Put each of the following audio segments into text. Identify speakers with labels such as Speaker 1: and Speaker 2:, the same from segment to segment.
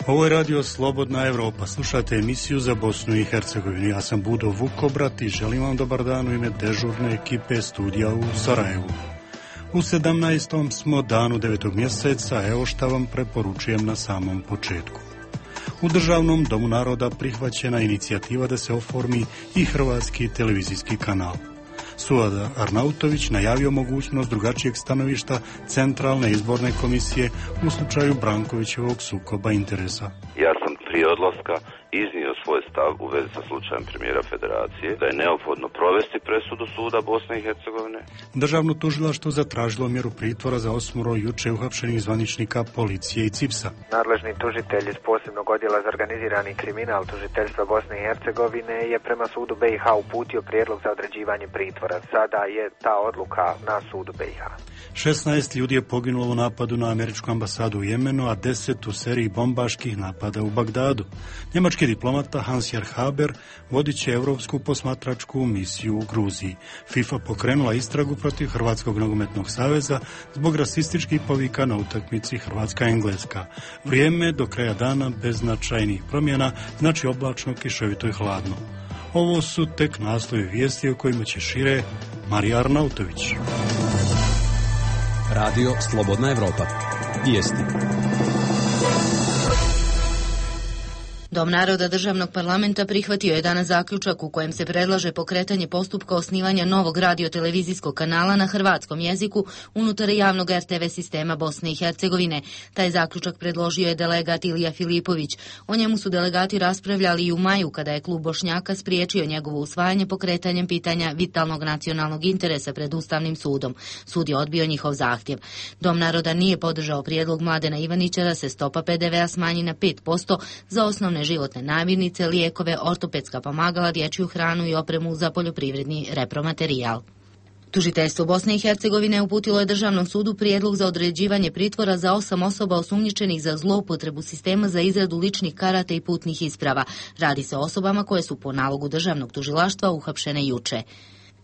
Speaker 1: Ovo je radio Slobodna Evropa. Slušate emisiju za Bosnu i Hercegovinu. Ja sam Budo Vukobrat i želim vam dobar dan u ime dežurne ekipe studija u Sarajevu. U 17. smo danu 9. mjeseca, evo šta vam preporučujem na samom početku. U Državnom domu naroda prihvaćena inicijativa da se oformi i hrvatski televizijski kanal. Suad Arnautović najavio mogućnost drugačijeg stanovišta Centralne izborne komisije u slučaju Brankovićevog sukoba interesa.
Speaker 2: Ja sam prije odlaska iznio svoj stav u vezi sa slučajem premijera Federacije da je neophodno provesti presudu suda Bosne i Hercegovine.
Speaker 1: Državno tužilaštvo zatražilo mjeru pritvora za 8 juče uhapšenih zvaničnika policije i CIPS-a.
Speaker 3: Nadležni tužitelj iz posebnog odjela za organizirani kriminal tužiteljstva Bosne i Hercegovine je prema sudu BiH uputio prijedlog za određivanje pritvora. Sada je ta odluka na sudu BiH.
Speaker 1: 16 ljudi je poginulo u napadu na američku ambasadu u Jemenu, a 10 u seriji bombaških napada u Bagdadu. Njemački diplomata Hans-Jörg Haber vodit će Europsku posmatračku misiju u Gruziji. FIFA pokrenula istragu protiv Hrvatskog nogometnog saveza zbog rasističkih povika na utakmici Hrvatska-Engleska. Vrijeme do kraja dana bez značajnih promjena, znači oblačno, kišovito i hladno. Ovo su tek naslovi vijesti o kojima će šire Marija Arnautović.
Speaker 4: Radio Slobodna Evropa. Vijesti.
Speaker 5: Dom naroda Državnog parlamenta prihvatio je danas zaključak u kojem se predlaže pokretanje postupka osnivanja novog radiotelevizijskog kanala na hrvatskom jeziku unutar javnog RTV sistema Bosne i Hercegovine. Taj zaključak predložio je delegat Ilija Filipović. O njemu su delegati raspravljali i u maju kada je klub Bošnjaka spriječio njegovo usvajanje pokretanjem pitanja vitalnog nacionalnog interesa pred Ustavnim sudom. Sud je odbio njihov zahtjev. Dom naroda nije podržao prijedlog Mladena Ivanića da se stopa PDV-a smanji na 5% za osnovne životne namirnice, lijekove, ortopedska pomagala, dječju hranu i opremu za poljoprivredni repromaterijal. Tužiteljstvo Bosne i Hercegovine uputilo je Državnom sudu prijedlog za određivanje pritvora za 8 osoba osumnjičenih za zloupotrebu sistema za izradu ličnih karata i putnih isprava. Radi se o osobama koje su po nalogu Državnog tužilaštva uhapšene juče.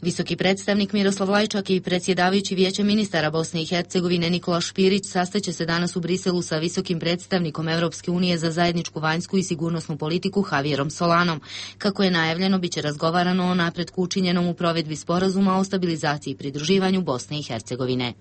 Speaker 5: Visoki predstavnik Miroslav Lajčak i predsjedavajući Vijeća ministara Bosne i Hercegovine Nikola Špirić sastaće se danas u Briselu sa visokim predstavnikom Europske unije za zajedničku vanjsku i sigurnosnu politiku Javierom Solanom. Kako je najavljeno, biće razgovarano o napretku učinjenom u provedbi sporazuma o stabilizaciji i pridruživanju Bosne i Hercegovine.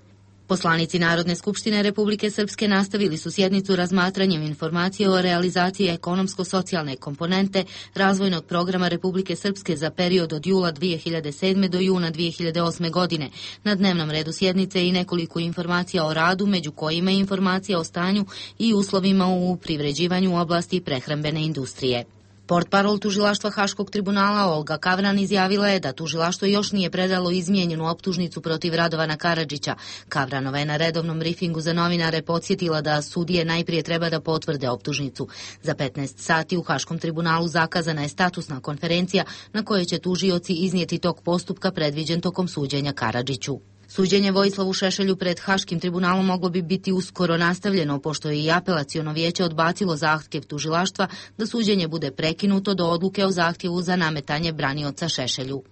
Speaker 5: Poslanici Narodne skupštine Republike Srpske nastavili su sjednicu razmatranjem informacije o realizaciji ekonomsko-socijalne komponente razvojnog programa Republike Srpske za period od jula 2007. do juna 2008. godine. Na dnevnom redu sjednice i nekoliko informacija o radu, među kojima je informacija o stanju i uslovima u privređivanju u oblasti prehrambene industrije. Portparol tužilaštva Haškog tribunala Olga Kavran izjavila je da tužilaštvo još nije predalo izmijenjenu optužnicu protiv Radovana Karadžića. Kavranova je na redovnom briefingu za novinare podsjetila da sudije najprije treba da potvrde optužnicu. Za 15 sati u Haškom tribunalu zakazana je statusna konferencija na kojoj će tužioci iznijeti tok postupka predviđen tokom suđenja Karadžiću. Suđenje Vojislavu Šešelju pred Haškim tribunalom moglo bi biti uskoro nastavljeno, pošto je i apelaciono vijeće odbacilo zahtjev tužilaštva da suđenje bude prekinuto do odluke o zahtjevu za nametanje branioca Šešelju.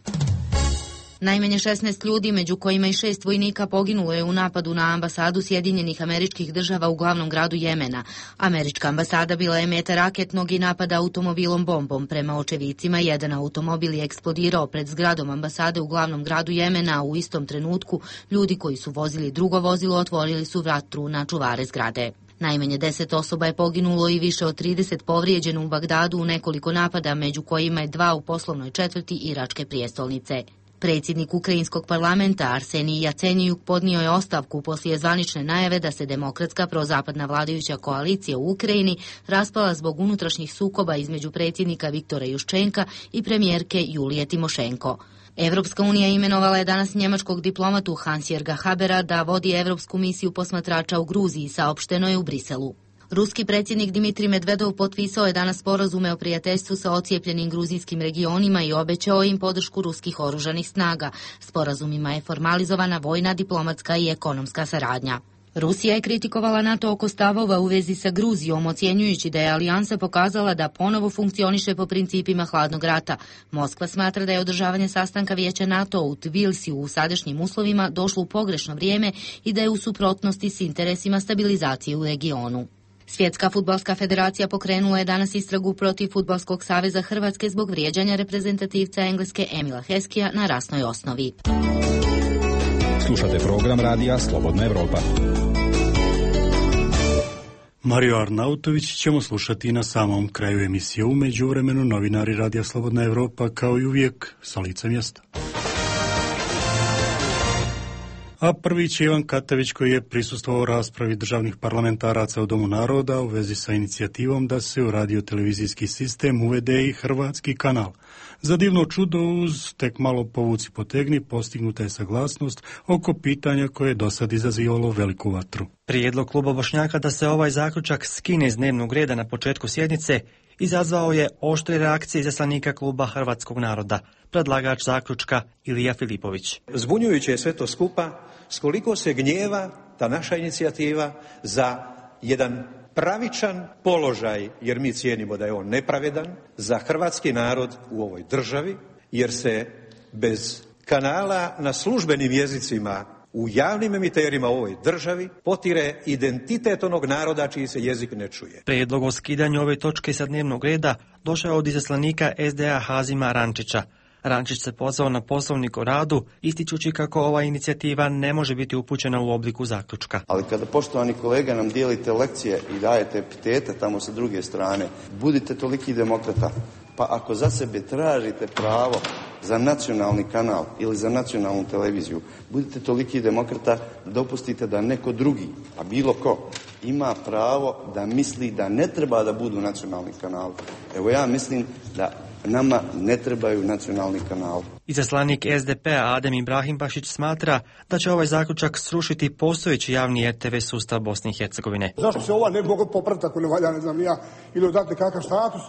Speaker 5: Najmanje 16 ljudi, među kojima i 6 vojnika, poginulo je u napadu na ambasadu Sjedinjenih Američkih Država u glavnom gradu Jemena. Američka ambasada bila je meta raketnog i napada automobilom bombom. Prema očevicima, jedan automobil je eksplodirao pred zgradom ambasade u glavnom gradu Jemena, a u istom trenutku ljudi koji su vozili drugo vozilo otvorili su vatru na čuvare zgrade. Najmanje 10 osoba je poginulo i više od 30 povrijeđeno u Bagdadu u nekoliko napada, među kojima je 2 u poslovnoj četvrti iračke prijestolnice. Predsjednik Ukrajinskog parlamenta Arsenij Jacenjujuk podnio je ostavku poslije zvanične najave da se demokratska prozapadna vladajuća koalicija u Ukrajini raspala zbog unutrašnjih sukoba između predsjednika Viktora Juščenka i premijerke Julije Timošenko. Evropska unija imenovala je danas njemačkog diplomatu Hans-Jörga Habera da vodi Evropsku misiju posmatrača u Gruziji, saopšteno je u Briselu. Ruski predsjednik Dmitrij Medvedov potpisao je danas sporazume o prijateljstvu sa ocijepljenim gruzijskim regionima i obećao im podršku ruskih oružanih snaga. Sporazumima je formalizovana vojna, diplomatska i ekonomska saradnja. Rusija je kritikovala NATO oko stavova u vezi sa Gruzijom, ocjenjujući da je alijansa pokazala da ponovo funkcioniše po principima hladnog rata. Moskva smatra da je održavanje sastanka Vijeća NATO u Tbilisiju u sadašnjim uslovima došlo u pogrešno vrijeme i da je u suprotnosti s interesima stabilizacije u regionu. Svjetska fudbalska federacija pokrenula je danas istragu protiv Fudbalskog saveza Hrvatske zbog vrijeđanja reprezentativca Engleske Emila Heskija na rasnoj osnovi.
Speaker 4: Slušate program radija Slobodna Evropa.
Speaker 1: Mario Arnautović ćemo slušati na samom kraju emisije. U međuvremenu novinari radija Slobodna Evropa kao i uvijek sa lica mjesta. A prvi će Ivan Katavić koji je prisustvovao raspravi državnih parlamentaraca u Domu naroda u vezi sa inicijativom da se u radiotelevizijski sistem uvede i hrvatski kanal. Za divno čudo uz tek malo povuci potegni postignuta je saglasnost oko pitanja koje je dosad izazivalo veliku vatru.
Speaker 6: Prijedlog kluba Bošnjaka da se ovaj zaključak skine iz dnevnog reda na početku sjednice izazvao je oštre reakcije izaslanika kluba Hrvatskog naroda, predlagač zaključka Ilija Filipović.
Speaker 7: Zbunjujuće je sve to skupa, s koliko se gnjeva ta naša inicijativa za jedan pravičan položaj, jer mi cijenimo da je on nepravedan, za hrvatski narod u ovoj državi, jer se bez kanala na službenim jezicima u javnim emiterima u ovoj državi potire identitet onog naroda čiji se jezik ne čuje.
Speaker 6: Prijedlog o skidanju ove točke sa dnevnog reda došao od izaslanika SDA Hazima Rančića. Rančić se pozvao na poslovnik o radu, ističući kako ova inicijativa ne može biti upućena u obliku zaključka.
Speaker 8: Ali kada, poštovani kolega, nam dijelite lekcije i dajete epitete tamo sa druge strane, budite toliki demokrata. Pa ako za sebe tražite pravo za nacionalni kanal ili za nacionalnu televiziju, budite toliki demokrata, dopustite da neko drugi, a bilo ko, ima pravo da misli da ne treba da budu nacionalni kanali. Evo ja mislim da nama ne trebaju nacionalni kanali.
Speaker 6: Izaslanik SDP-a Adem Ibrahimbašić smatra da će ovaj zaključak srušiti postojeći javni RTV sustav Bosne i Hercegovine.
Speaker 9: Zašto se ova ne mogu popraviti ako ne valja, ne znam ja, ili dati kakav status,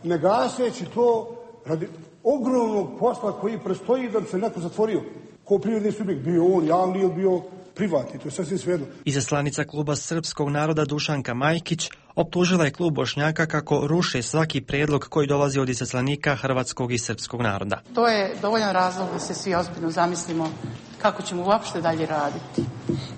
Speaker 9: ne gaseći to radi ogromnog posla koji prestoji da bi se neko zatvorio. Ko privredni subjekt, bio on javni ili bio privatni, to je sasvim svejedno.
Speaker 6: Izaslanica kluba Srpskog naroda Dušanka Majkić optužila je klub Bošnjaka kako ruše svaki prijedlog koji dolazi od izaslanika hrvatskog i srpskog naroda.
Speaker 10: To je dovoljan razlog da se svi ozbiljno zamislimo kako ćemo uopšte dalje raditi.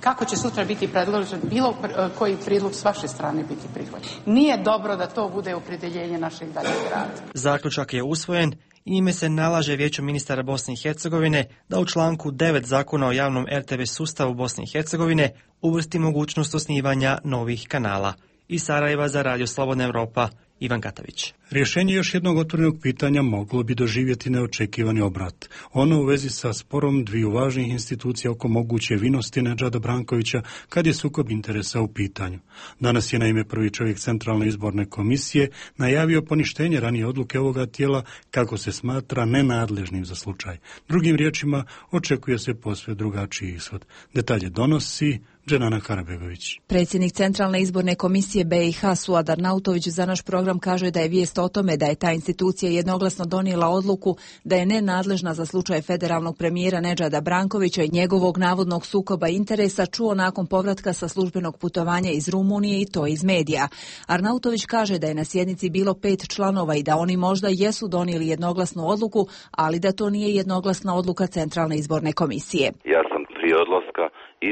Speaker 10: Kako će sutra biti predložen bilo koji prijedlog s vaše strane biti prihvaćen. Nije dobro da to bude opredjeljenje našeg daljeg rada.
Speaker 6: Zaključak je usvojen i njime se nalaže Vijeću ministara Bosne i Hercegovine da u članku 9 Zakona o javnom RTV sustavu Bosne i Hercegovine uvrsti mogućnost osnivanja novih kanala. Iz Sarajeva za Radio Slobodna Evropa, Ivan Katavić.
Speaker 1: Rješenje još jednog otvorenog pitanja moglo bi doživjeti neočekivani obrat. Ono u vezi sa sporom dviju važnih institucija oko moguće vinosti Nedžada Brankovića kad je sukob interesa u pitanju. Danas je naime prvi čovjek Centralne izborne komisije najavio poništenje ranije odluke ovoga tijela kako se smatra nenadležnim za slučaj. Drugim riječima, očekuje se posve drugačiji ishod. Detalje donosi Dženana Karabegović.
Speaker 11: Predsjednik Centralne izborne komisije BiH Suad Arnautović za naš program kaže da je vijest o tome da je ta institucija jednoglasno donijela odluku da je nenadležna za slučaj federalnog premijera Nedžada Brankovića i njegovog navodnog sukoba interesa čuo nakon povratka sa službenog putovanja iz Rumunije i to iz medija. Arnautović kaže da je na sjednici bilo 5 članova i da oni možda jesu donijeli jednoglasnu odluku, ali da to nije jednoglasna odluka Centralne izborne komisije.
Speaker 2: Ja sam prije odlaska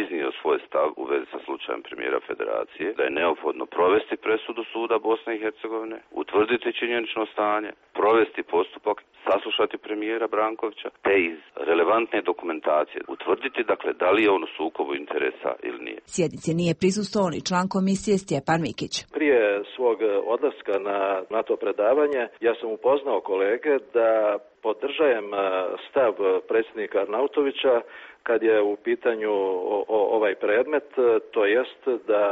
Speaker 2: iznio svoj stav u vezi sa slučajem premijera Federacije da je neophodno provesti presudu suda Bosne i Hercegovine, utvrditi činjenično stanje, provesti postupak, saslušati premijera Brankovića, te iz relevantne dokumentacije utvrditi dakle da li je on u sukobu interesa ili nije.
Speaker 11: Sjednici nije prisustvovao ni član komisije Stjepan Mikić.
Speaker 12: Prije svog odlaska na to predavanje ja sam upoznao kolege da podržajem stav predsjednika Arnautovića kad je u pitanju ovaj predmet, to jest da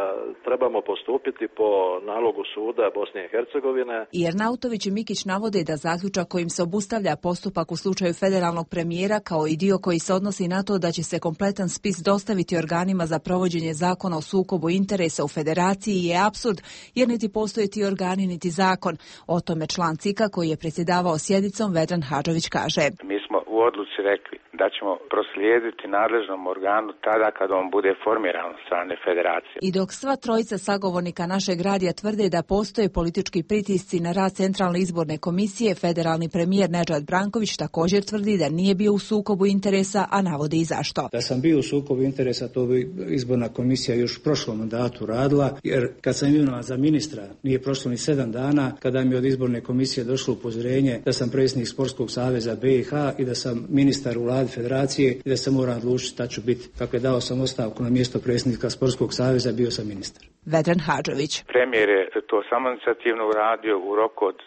Speaker 12: trebamo postupiti po nalogu suda Bosne i Hercegovine.
Speaker 11: I Arnautović i Mikić navode da zaključak kojim se obustavlja postupak u slučaju federalnog premijera kao i dio koji se odnosi na to da će se kompletan spis dostaviti organima za provođenje zakona o sukobu interesa u federaciji je apsurd jer niti postoje ti organi niti zakon. O tome član CIK-a koji je predsjedavao sjednicom Vedran Hadžović kaže.
Speaker 13: Mi smo u u odluci rekli da ćemo proslijediti nadležnom organu tada kad on bude formiran od strane federacije.
Speaker 11: I dok sva trojica sagovornika našeg radija tvrde da postoje politički pritisci na rad Centralne izborne komisije, federalni premijer Nedžad Branković također tvrdi da nije bio u sukobu interesa, a navodi i zašto.
Speaker 14: Da sam bio u sukobu interesa, to bi izborna komisija još u prošlom mandatu radila, jer kad sam imenovan za ministra, nije prošlo ni 7 dana, kada mi od izborne komisije došlo upozorenje da sam predsjednik Sportskog saveza BiH i da sam ministar u vladi federacije i da se moram odlučiti šta ću biti. Dakle, dao sam ostavku na mjesto predsjednika Sportskog saveza, bio sam ministar.
Speaker 11: Vedran Hadžović.
Speaker 13: Premijer je to samoinicijativno uradio u roku od,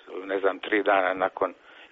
Speaker 13: 3 dana nakon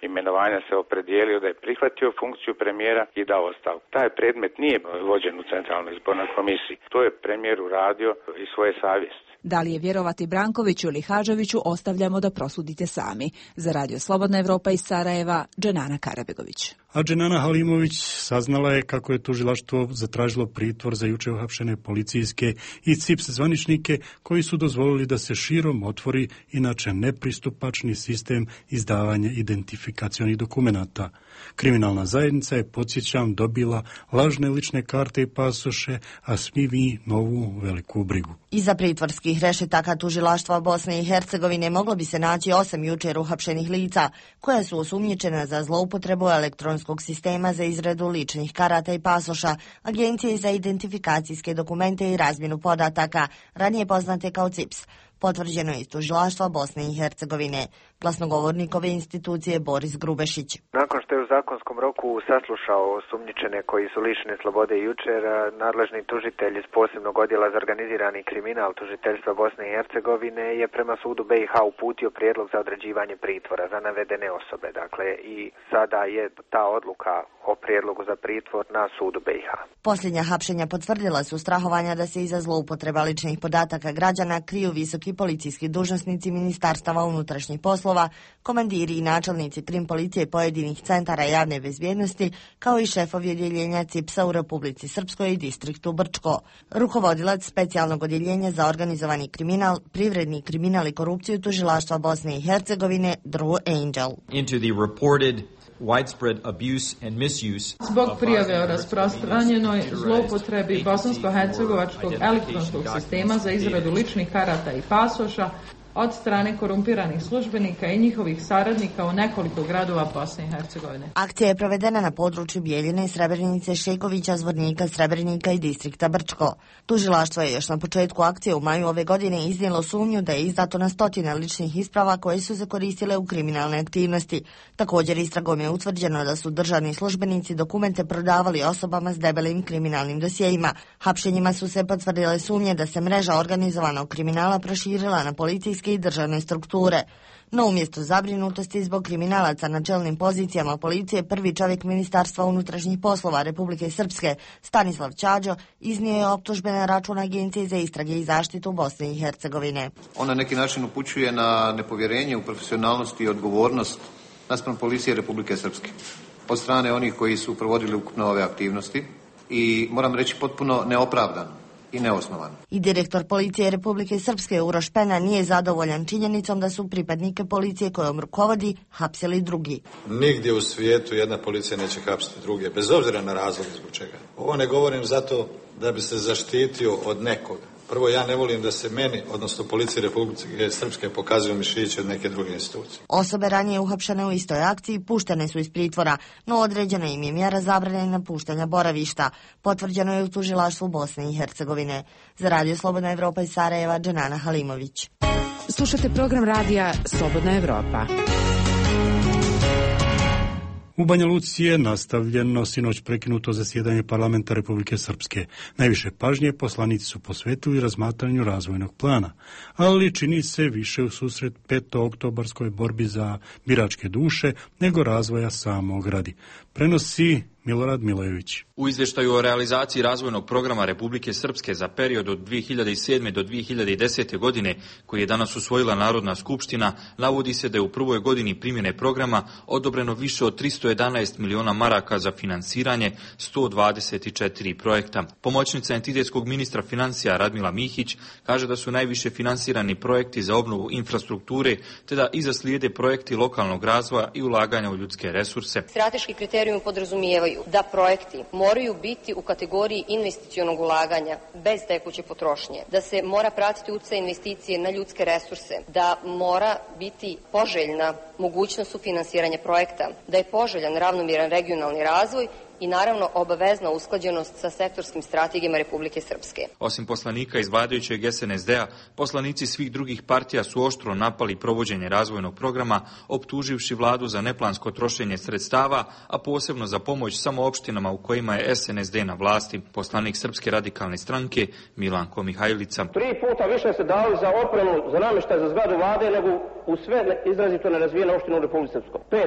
Speaker 13: imenovanja se opredijelio da je prihvatio funkciju premijera i dao ostavku. Taj predmet nije vođen u Centralnoj izbornoj komisiji. To je premijer uradio iz svoje savjesti.
Speaker 11: Da li je vjerovati Brankoviću ili Hadžoviću, ostavljamo da prosudite sami. Za Radio Slobodna Evropa iz Sarajeva, Dženana Karabegović.
Speaker 1: A Dženana Halimović saznala je kako je tužilaštvo zatražilo pritvor za juče uhapšene policijske i CIPS zvaničnike koji su dozvolili da se širom otvori inače nepristupačni sistem izdavanja identifikacionih dokumenata. Kriminalna zajednica je, podsjećam, dobila lažne lične karte i pasoše, a svi vi novu veliku brigu.
Speaker 5: Iza pritvorskih rešetaka tužilaštva Bosne i Hercegovine moglo bi se naći 8 jučer uhapšenih lica, koja su osumnjičena za zloupotrebu elektronskog sistema za izradu ličnih karata i pasoša, Agencije za identifikacijske dokumente i razmjenu podataka, ranije poznate kao CIPS. Potvrđeno je iz tužilaštva Bosne i Hercegovine. Glasnogovornik ove institucije Boris Grubešić.
Speaker 3: Nakon što je u zakonskom roku saslušao osumnjičene koji su lišeni slobode jučer, nadležni tužitelj iz posebnog odjela za organizirani kriminal tužiteljstva Bosne i Hercegovine je prema sudu BiH uputio prijedlog za određivanje pritvora za navedene osobe. Dakle, i sada je ta odluka o prijedlogu za pritvor na sudu BiH.
Speaker 5: Posljednja hapšenja potvrdila su strahovanja da se iza zloupotreba ličnih podataka građana kriju visoki policijski dužnosnici Ministarstava unutrašnjih poslova, komandiri i načelnici krim policije pojedinih centara javne bezbjednosti, kao i šefovi odjeljenja CIPS-a u Republici Srpskoj i distriktu Brčko. Rukovodilac specijalnog odjeljenja za organizovani kriminal, privredni kriminal i korupciju tužilaštva Bosne i Hercegovine Drew Angel.
Speaker 15: Zbog prijave o rasprostranjenoj zloupotrebi bosansko-hercegovačkog elektronskog sistema za izradu ličnih karata i pasoša od strane korumpiranih službenika i njihovih saradnika u nekoliko gradova Bosne i Hercegovine.
Speaker 5: Akcija je provedena na području Bijeljine, Srebrenice, Šekovića, Zvornika, Srebrenika i distrikta Brčko. Tužilaštvo je još na početku akcije u maju ove godine iznijelo sumnju da je izdato na 100 ličnih isprava koje su se koristile u kriminalne aktivnosti. Također istragom je utvrđeno da su državni službenici dokumente prodavali osobama s debelim kriminalnim dosjejima. Hapšenjima su se potvrdile sumnje da se mreža organizovanog kriminala proširila na policijske i državne strukture. No umjesto zabrinutosti zbog kriminalaca na čelnim pozicijama policije, prvi čovjek Ministarstva unutrašnjih poslova Republike Srpske, Stanislav Čađo, iznio je optužbe na račun Agencije za istrage i zaštitu Bosne i Hercegovine.
Speaker 16: On na neki način upućuje na nepovjerenje u profesionalnost i odgovornost naspram policije Republike Srpske od strane onih koji su provodili ukupno ove aktivnosti i moram reći potpuno neopravdano i neosnovan.
Speaker 5: I direktor policije Republike Srpske Uroš Pena nije zadovoljan činjenicom da su pripadnike policije kojom rukovodi hapsili drugi.
Speaker 17: Nigdje u svijetu jedna policija neće hapsiti druge, bez obzira na razlog zbog čega. Ovo ne govorim zato da bi se zaštitio od nekoga. Prvo, ja ne volim da se meni, odnosno policiji Republike Srpske, pokazuju mišići od neke druge institucije.
Speaker 5: Osobe ranije uhapšene u istoj akciji puštene su iz pritvora, no određena im je mjera zabrane napuštanja boravišta. Potvrđeno je u tužilaštvu Bosne i Hercegovine. Za Radio Slobodna Evropa iz Sarajeva, Dženana Halimović.
Speaker 18: Slušate program radija Slobodna Evropa.
Speaker 1: U Banja Luci je nastavljeno sinoć prekinuto zasjedanje parlamenta Republike Srpske. Najviše pažnje poslanici su posvetili razmatranju razvojnog plana, ali čini se više u susret 5. oktobarskoj borbi za biračke duše nego razvoja samog gradi. Prenosi Milorad Milojević.
Speaker 19: U izvještaju o realizaciji razvojnog programa Republike Srpske za period od 2007. do 2010. godine, koji je danas usvojila Narodna skupština, navodi se da je u prvoj godini primjene programa odobreno više od 311 miliona maraka za finansiranje 124 projekta. Pomoćnica entitetskog ministra financija Radmila Mihić kaže da su najviše finansirani projekti za obnovu infrastrukture, te da iza slijede projekti lokalnog razvoja i ulaganja u ljudske resurse.
Speaker 20: Strateški kriterijumi podrazumijevaju da projekti moraju biti u kategoriji investicionog ulaganja bez tekuće potrošnje, da se mora pratiti utjecaj investicije na ljudske resurse, da mora biti poželjna mogućnost sufinansiranja projekta, da je poželjan ravnomjeran regionalni razvoj i naravno obavezna usklađenost sa sektorskim strategijama Republike Srpske.
Speaker 19: Osim poslanika iz vladajućeg SNSD-a, poslanici svih drugih partija su oštro napali provođenje razvojnog programa, optuživši vladu za neplansko trošenje sredstava, a posebno za pomoć samo opštinama u kojima je SNSD na vlasti. Poslanik Srpske radikalne stranke Milanko Mihajlica.
Speaker 21: 3 puta više se dali za opremu, za namještaj za zgradu vlade nego u sve izrazito nerazvijene opštine u Republike Srpskoj. 5%,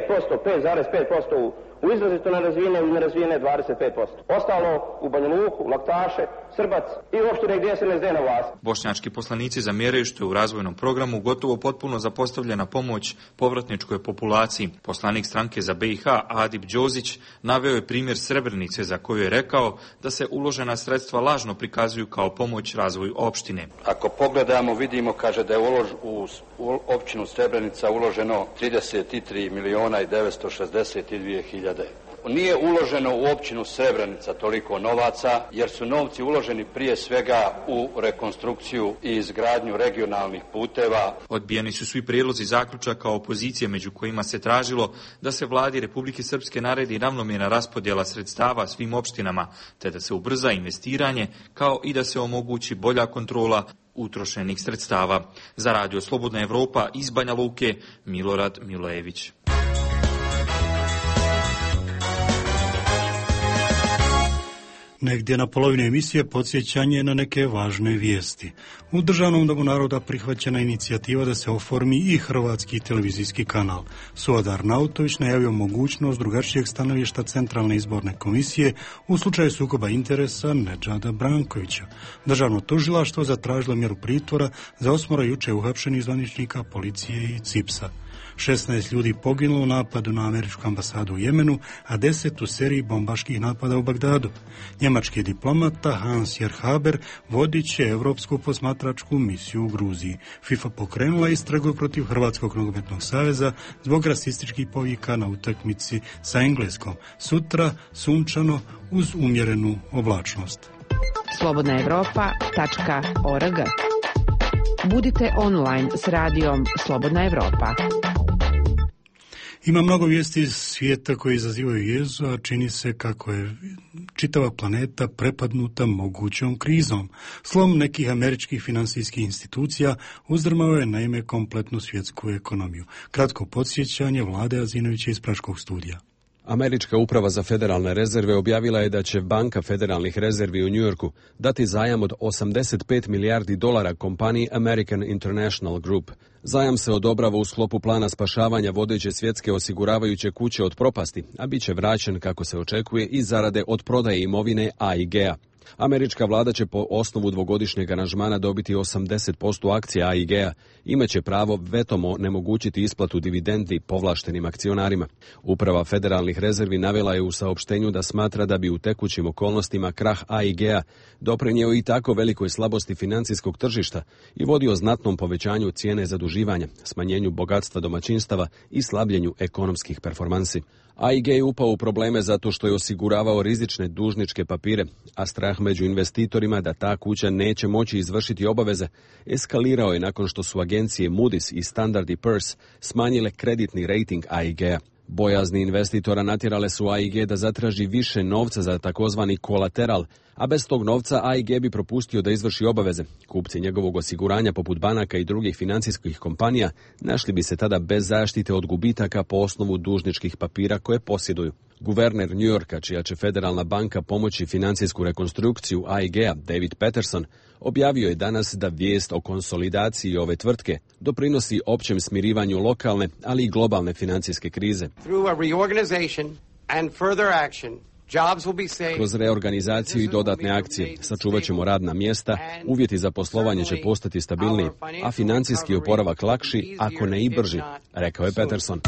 Speaker 21: 5,5% u izrazito nerazvijene i nerazvijene 25%. Ostalo u Banja Luku, Laktaše, Srbac i opštine gdje se ne zde na vlast.
Speaker 19: Bošnjački poslanici zamjeraju što je u razvojnom programu gotovo potpuno zapostavljena pomoć povratničkoj populaciji. Poslanik stranke za BiH Adip Đozić naveo je primjer Srebrenice za koju je rekao da se uložena sredstva lažno prikazuju kao pomoć razvoju opštine.
Speaker 22: Ako pogledamo, vidimo, kaže da je u općinu Srebrenica uloženo 33 miliona i 962 hiljade. Nije uloženo u općinu Srebrenica toliko novaca, jer su novci uloženi prije svega u rekonstrukciju i izgradnju regionalnih puteva.
Speaker 19: Odbijeni su svi prijedlozi zaključaka opozicije, među kojima se tražilo da se vladi Republike Srpske naredi ravnomjerna raspodjela sredstava svim opštinama, te da se ubrza investiranje, kao i da se omogući bolja kontrola utrošenih sredstava. Za Radio Slobodna Evropa iz Banja Luke, Milorad Milojević.
Speaker 1: Negdje na polovini emisije podsjećanje na neke važne vijesti. U Državnom domu naroda prihvaćena inicijativa da se oformi i hrvatski televizijski kanal. Suadar Nautović najavio mogućnost drugačijeg stanovišta Centralne izborne komisije u slučaju sukoba interesa Nedžada Brankovića. Državno tužilaštvo zatražilo mjeru pritvora za 8 juče uhapšenih zvaničnika policije i CIPS-a. 16 ljudi poginulo u napadu na američku ambasadu u Jemenu, a 10 u seriji bombaških napada u Bagdadu. Njemački diplomata Hans Jerhaber vodit će Europsku posmatračku misiju u Gruziji. FIFA pokrenula istragu protiv Hrvatskog nogometnog saveza zbog rasističkih povika na utakmici sa Engleskom. Sutra sunčano uz umjerenu oblačnost.
Speaker 18: slobodnaevropa.org. Budite online s radijom Slobodna Evropa.
Speaker 1: Ima mnogo vijesti iz svijeta koji izazivaju jezu, a čini se kako je čitava planeta prepadnuta mogućom krizom. Slom nekih američkih financijskih institucija uzdrmao je naime kompletnu svjetsku ekonomiju. Kratko podsjećanje Vlade Azinovića iz Praškog studija.
Speaker 23: Američka uprava za federalne rezerve objavila je da će Banka federalnih rezervi u Njujorku dati zajam od 85 milijardi dolara kompaniji American International Group. Zajam se odobrava u sklopu plana spašavanja vodeće svjetske osiguravajuće kuće od propasti, a bit će vraćen, kako se očekuje, i zarade od prodaje imovine AIG-a. Američka vlada će po osnovu dvogodišnjeg aranžmana dobiti 80% akcija AIG-a. Imaće pravo vetom onemogućiti isplatu dividendi povlaštenim akcionarima. Uprava federalnih rezervi navela je u saopštenju da smatra da bi u tekućim okolnostima krah AIG-a doprinjeo i tako velikoj slabosti financijskog tržišta i vodio znatnom povećanju cijene zaduživanja, smanjenju bogatstva domaćinstava i slabljenju ekonomskih performansi. AIG je upao u probleme zato što je osiguravao rizične dužničke papire, a strah među investitorima da ta kuća neće moći izvršiti obaveze eskalirao je nakon što su agencije Moody's i Standard & Poor's smanjile kreditni rating AIG-a. Bojazni investitora natjerale su AIG da zatraži više novca za takozvani kolateral, a bez tog novca AIG bi propustio da izvrši obaveze. Kupci njegovog osiguranja poput banaka i drugih financijskih kompanija našli bi se tada bez zaštite od gubitaka po osnovu dužničkih papira koje posjeduju. Guverner New Yorka, čija će federalna banka pomoći financijsku rekonstrukciju AIG-a, David Peterson, objavio je danas da vijest o konsolidaciji ove tvrtke doprinosi općem smirivanju lokalne, ali i globalne financijske krize.
Speaker 24: Through a reorganization and further action,
Speaker 23: Kroz reorganizaciju i dodatne akcije sačuvat ćemo radna mjesta, uvjeti za poslovanje će postati stabilniji, a financijski oporavak lakši, ako ne i brži, rekao je Peterson.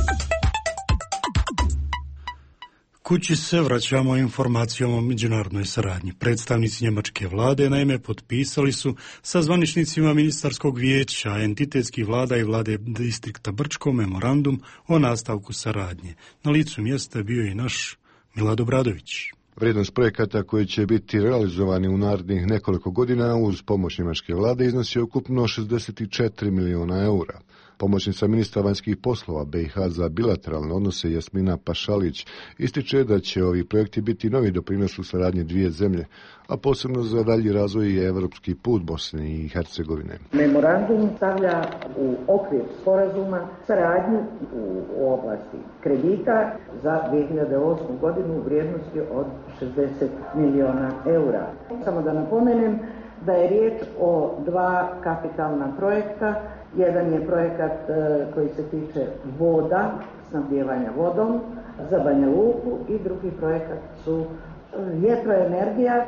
Speaker 1: Kući se vraćamo informacijom o međunarodnoj saradnji. Predstavnici njemačke vlade naime potpisali su sa zvaničnicima ministarskog vijeća, entitetskih vlada i vlade distrikta Brčko memorandum o nastavku saradnje. Na licu mjesta je bio i naš Milad Obradović.
Speaker 4: Vrijednost projekata koji će biti realizovani u narednih nekoliko godina uz pomoć njemačke vlade iznosi ukupno 64 milijuna eura. Pomoćnica ministra vanjskih poslova BiH za bilateralne odnose Jasmina Pašalić ističe da će ovi projekti biti novi doprinos u saradnji dvije zemlje, a posebno za dalji razvoj i evropski put Bosne i Hercegovine.
Speaker 7: Memorandum stavlja u okvir sporazuma saradnju u oblasti kredita za 2008. godinu u vrijednosti od 60 milijuna eura. Samo da napomenem da je riječ o dva kapitalna projekta. Jedan je projekat koji se tiče voda, snabdijevanja vodom za Banja Luku i drugi projekat su vjetroenergija.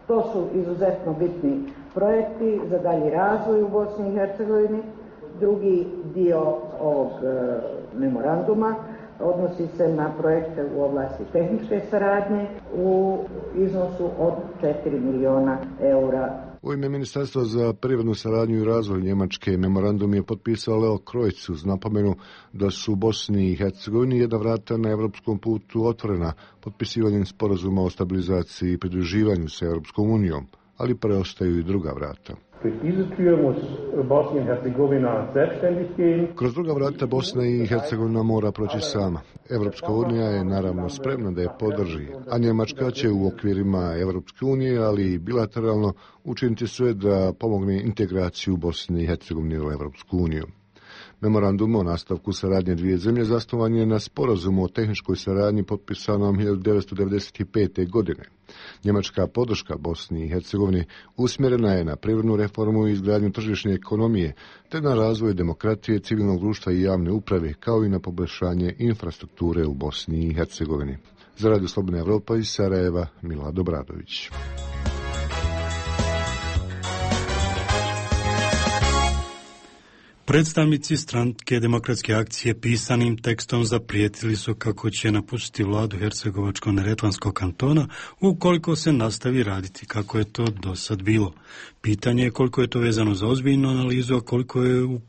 Speaker 7: To su izuzetno bitni projekti za dalji razvoj u Bosni i Hercegovini. Drugi dio ovog memoranduma odnosi se na projekte u oblasti tehničke saradnje u iznosu od 4 milijuna eura.
Speaker 4: U ime Ministarstva za privrednu saradnju i razvoj Njemačke memorandum je potpisao Leo Krojc uz napomenu da su u Bosni i Hercegovini jedna vrata na evropskom putu otvorena potpisivanjem sporazuma o stabilizaciji i pridruživanju sa Europskom unijom, ali preostaju i druga vrata. Kroz druga vrata Bosna i Hercegovina mora proći sama. Evropska unija je naravno spremna da je podrži, a Njemačka će u okvirima Evropske unije, ali i bilateralno učiniti sve da pomogne integraciju Bosne i Hercegovine u Evropsku uniju. Memorandum o nastavku saradnje dvije zemlje zasnovan je na sporazumu o tehničkoj saradnji potpisanom 1995. godine. Njemačka podrška Bosni i Hercegovini usmjerena je na privrednu reformu i izgradnju tržišne ekonomije, te na razvoj demokratije, civilnog društva i javne uprave, kao i na poboljšanje infrastrukture u Bosni i Hercegovini. Za Radio Slobodna Evropa iz Sarajeva, Milad Obradović.
Speaker 1: Predstavnici stranke Demokratske akcije pisanim tekstom zaprijetili su kako će napustiti vladu Hercegovačko-neretvanskog kantona ukoliko se nastavi raditi kako je to do sad bilo. Pitanje je koliko je to vezano za ozbiljnu analizu, a koliko je u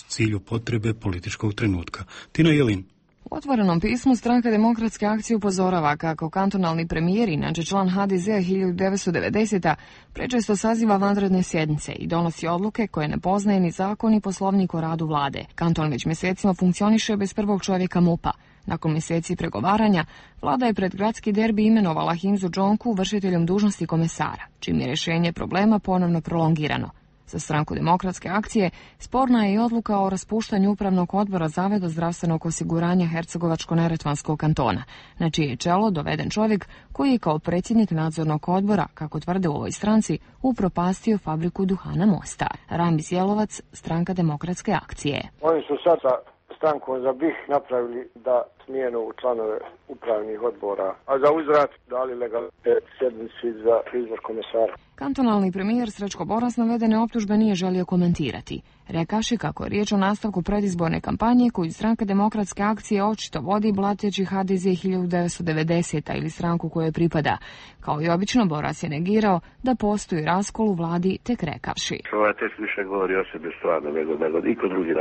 Speaker 1: cilju potrebe političkog trenutka. Tina Jelin.
Speaker 8: U otvorenom pismu stranka Demokratske akcije upozorava kako kantonalni premijer, inače član HDZ-a 1990. prečesto saziva vanredne sjednice i donosi odluke koje ne poznaje ni zakon ni poslovnik o radu vlade. Kanton već mjesecima funkcioniše bez prvog čovjeka MUP-a. Nakon mjeseci pregovaranja, vlada je pred gradski derbi imenovala Hinzu Džonku vršiteljom dužnosti komesara, čim je rješenje problema ponovno prolongirano. Za stranku Demokratske akcije sporna je i odluka o raspuštanju upravnog odbora Zavoda zdravstvenog osiguranja Hercegovačko-neretvanskog kantona, na čije je čelo doveden čovjek koji je kao predsjednik nadzornog odbora, kako tvrde u ovoj stranci, upropastio fabriku duhana Mostar. Ramiz Jelovac, stranka Demokratske akcije.
Speaker 24: Oni su sad sa strankom za BiH napravili da smijenu članove upravnih odbora, a za uzvrat dali legalitet sjednici za izbor komesara.
Speaker 8: Kantonalni premijer Srećko Boras navedene optužbe nije želio komentirati. Rekavši kako je riječ o nastavku predizborne kampanje koju stranka Demokratske akcije očito vodi blateći HDZ 1990. ili stranku kojoj pripada. Kao i obično, Boras je negirao da postoji raskol u vladi, tek rekavši.
Speaker 24: Ovaj tekst više govori o sebi stvarno nego iko drugi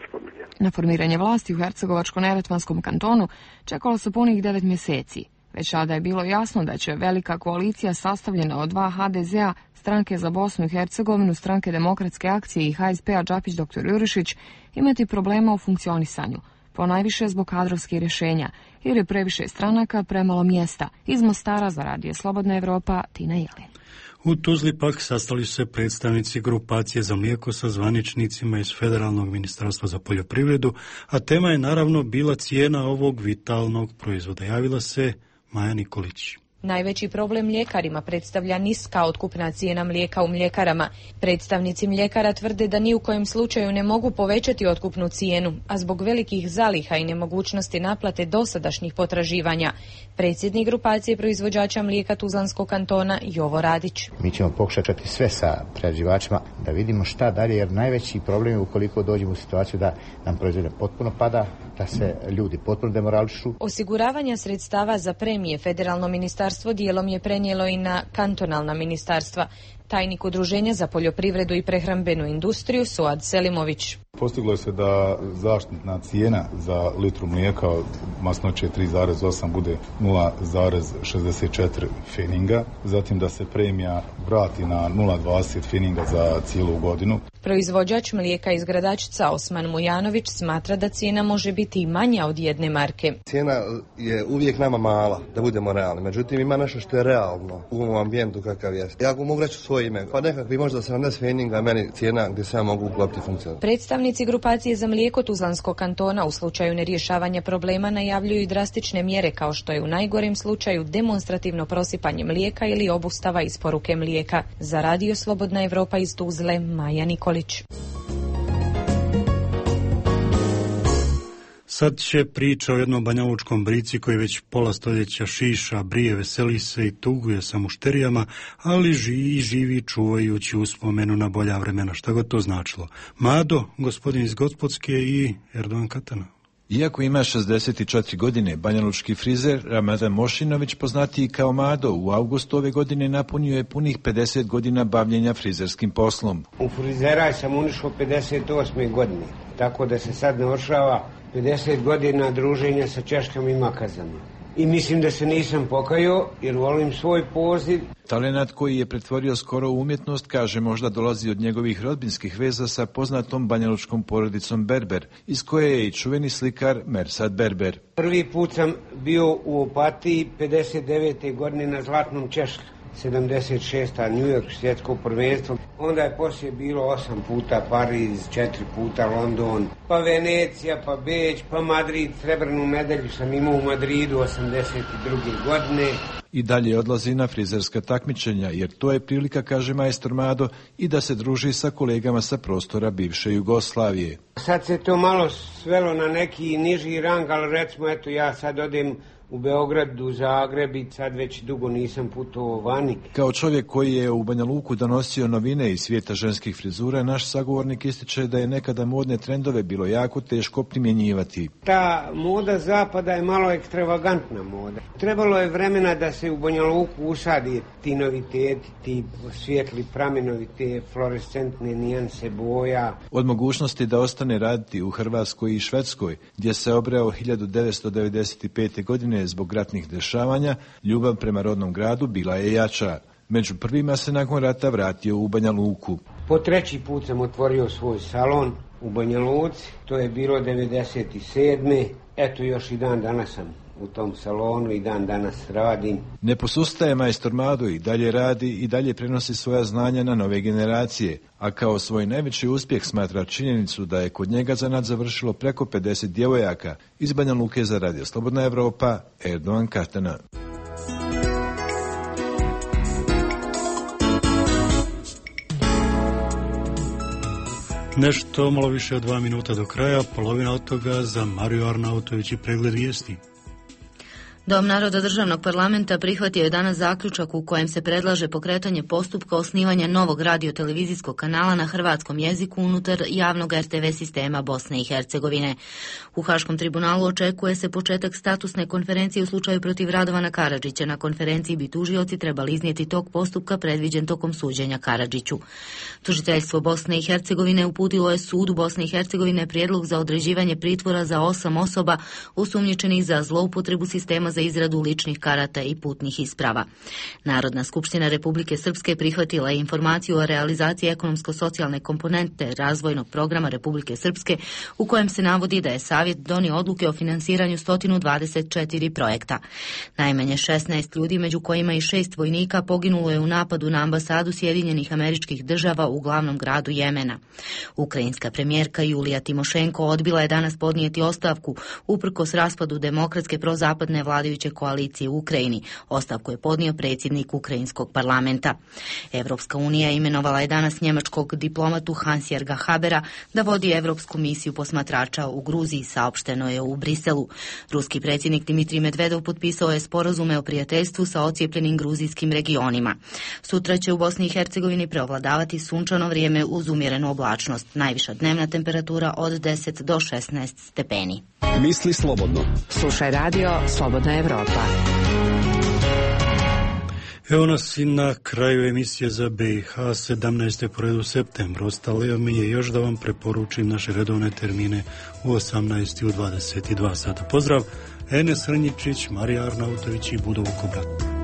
Speaker 24: spominje.
Speaker 8: Na formiranje vlasti u Hercegovačko-neretvanskom kantonu čekalo se punih 9 mjeseci. Već sada je bilo jasno da će velika koalicija sastavljena od dva HDZ-a, stranke za Bosnu i Hercegovinu, stranke Demokratske akcije i HSP-a Đapić dr. Jurišić imati problema u funkcionisanju, ponajviše zbog kadrovskih rješenja, jer je previše stranaka, premalo mjesta. Iz Mostara za Radio Slobodna Evropa, Tina Jelin.
Speaker 1: U Tuzli pak sastali su se predstavnici grupacije za mlijeko sa zvaničnicima iz Federalnog ministarstva za poljoprivredu, a tema je naravno bila cijena ovog vitalnog proizvoda. Javila se Maja Nikolić.
Speaker 2: Najveći problem mljekarima predstavlja niska otkupna cijena mlijeka u mljekarama. Predstavnici mljekara tvrde da ni u kojem slučaju ne mogu povećati otkupnu cijenu, a zbog velikih zaliha i nemogućnosti naplate dosadašnjih potraživanja. Predsjednik grupacije proizvođača mlijeka Tuzlanskog kantona Jovo Radić.
Speaker 6: Mi ćemo pokušati sve sa prerađivačima da vidimo šta dalje, jer najveći problem je ukoliko dođemo u situaciju da nam proizvodnja potpuno pada, da se ljudi potpuno demorališu.
Speaker 2: Osiguravanja sredstava za premije federalno ministarstvo dijelom je prenijelo i na kantonalna ministarstva. Tajnik Udruženja za poljoprivredu i prehrambenu industriju Suad Selimović.
Speaker 9: Postiglo se da zaštitna cijena za litru mlijeka masnoće 3,8 bude 0,64 feninga, zatim da se premija vrati na 0,20 feninga za cijelu godinu.
Speaker 2: Proizvođač mlijeka iz Gradačca Osman Mujanović smatra da cijena može biti i manja od 1 marke.
Speaker 10: Cijena je uvijek nama mala, da budemo realni, međutim ima nešto što je realno u ovom ambijentu kakav je. Ja mogu reći svoje ime, pa nekakvi možda 70 feninga meni cijena gdje se ja mogu uklopiti funkcionalno.
Speaker 2: Predstavnici grupacije za mlijeko Tuzlanskog kantona u slučaju nerješavanja problema najavljuju i drastične mjere, kao što je u najgorem slučaju demonstrativno prosipanje mlijeka ili obustava isporuke mlijeka. Za Radio Slobodna Evropa iz Tuzle, Maja Nikolić.
Speaker 1: Sad će priča o jednom banjalučkom brici koji već pola stoljeća šiša, brije, veseli se i tuguje sa mušterijama, ali živi čuvajući uspomenu na bolja vremena. Šta god to značilo? Mado, gospodin iz Gospodske i Erdogan Katana.
Speaker 25: Iako ima 64 godine, banjalučki frizer Ramadan Mošinović, poznatiji kao Mado, u avgustu ove godine napunio je punih 50 godina bavljenja frizerskim poslom.
Speaker 26: U frizeraj sam unišao 58. godine, tako da se sad navršava 50 godina druženja sa češkama i makazama. I mislim da se nisam pokajao jer volim svoj poziv.
Speaker 25: Talenat koji je pretvorio skoro u umjetnost, kaže, možda dolazi od njegovih rodbinskih veza sa poznatom banjalučkom porodicom Berber, iz koje je i čuveni slikar Mersad Berber.
Speaker 26: Prvi put sam bio u Opatiji 59. godine na Zlatnom Češlju. 76. New York svjetsko prvenstvo, onda je poslije bilo 8 puta Pariz, 4 puta London, pa Venecija, pa Beč, pa Madrid. Srebrnu medalju sam imao u Madridu 82. godine.
Speaker 25: I dalje odlazi na frizerska takmičenja, jer to je prilika, kaže majstor Mado, i da se druži sa kolegama sa prostora bivše Jugoslavije.
Speaker 26: Sad se to malo svelo na neki niži rang, ali recimo, eto, ja sad odem u Beograd, u Zagreb i sad već dugo nisam putovao vani.
Speaker 25: Kao čovjek koji je u Banja Luku donosio novine iz svijeta ženskih frizura, naš sagovornik ističe da je nekada modne trendove bilo jako teško primjenjivati.
Speaker 26: Ta moda zapada je malo ekstravagantna moda. Trebalo je vremena da se u Banja Luku usadi ti noviteti, ti svijetli pramenovi, te fluorescentne nijanse boja.
Speaker 25: Od mogućnosti da ostane raditi u Hrvatskoj i Švedskoj, gdje se obreo 1995. godine zbog ratnih dešavanja, ljubav prema rodnom gradu bila je jača. Među prvima se nakon rata vratio u Banja Luku.
Speaker 26: Po 3. put sam otvorio svoj salon u Banja Luci, to je bilo 97. Eto, još i dan danas sam u tom salonu i dan danas radim.
Speaker 25: Ne posustaje majstor Mado, i dalje radi i dalje prenosi svoja znanja na nove generacije, a kao svoj najveći uspjeh smatra činjenicu da je kod njega zanat završilo preko 50 djevojaka. Iz Banja Luke za Radio Slobodna Evropa, Erdogan Katana.
Speaker 1: Nešto malo više od 2 minuta do kraja, polovina od toga za Mariju Arnautović i pregled vijesti.
Speaker 5: Dom naroda državnog parlamenta prihvatio je danas zaključak u kojem se predlaže pokretanje postupka osnivanja novog radiotelevizijskog kanala na hrvatskom jeziku unutar javnog RTV sistema Bosne i Hercegovine. U Haškom tribunalu očekuje se početak statusne konferencije u slučaju protiv Radovana Karadžića. Na konferenciji bi tužioci trebali iznijeti tok postupka predviđen tokom suđenja Karadžiću. Tužiteljstvo Bosne i Hercegovine uputilo je sudu Bosne i Hercegovine prijedlog za određivanje pritvora za 8 osoba osumnjičenih za zloupotrebu sistema za izradu ličnih karata i putnih isprava. Narodna skupština Republike Srpske prihvatila je informaciju o realizaciji ekonomsko-socijalne komponente razvojnog programa Republike Srpske u kojem se navodi da je Savjet donio odluke o finansiranju 124 projekta. Najmanje 16 ljudi, među kojima i 6 vojnika, poginulo je u napadu na ambasadu Sjedinjenih Američkih Država u glavnom gradu Jemena. Ukrajinska premijerka Julija Timošenko odbila je danas podnijeti ostavku uprkos raspadu demokratske prozapadne vlade vladajuće koalicije u Ukrajini. Ostavku je podnio predsjednik Ukrajinskog parlamenta. Evropska unija imenovala je danas njemačkog diplomatu Hans-Jörga Habera da vodi Evropsku misiju posmatrača u Gruziji, saopšteno je u Briselu. Ruski predsjednik Dimitrij Medvedov potpisao je sporazume o prijateljstvu sa ocijepljenim gruzijskim regionima. Sutra će u Bosni i Hercegovini preovladavati sunčano vrijeme uz umjerenu oblačnost. Najviša dnevna temperatura od 10 do 16 stepeni.
Speaker 23: Misli slobodno.
Speaker 18: Slušaj radio Slobodna Evropa.
Speaker 1: Evo nas i na kraju emisije za BiH 17. po redu septembra. Ostalo mi je još da vam preporučim naše redovne termine u 18. i u 22 sata. Pozdrav, Enes Hrnjičić, Marija Arnautović i Budo Vukobrat.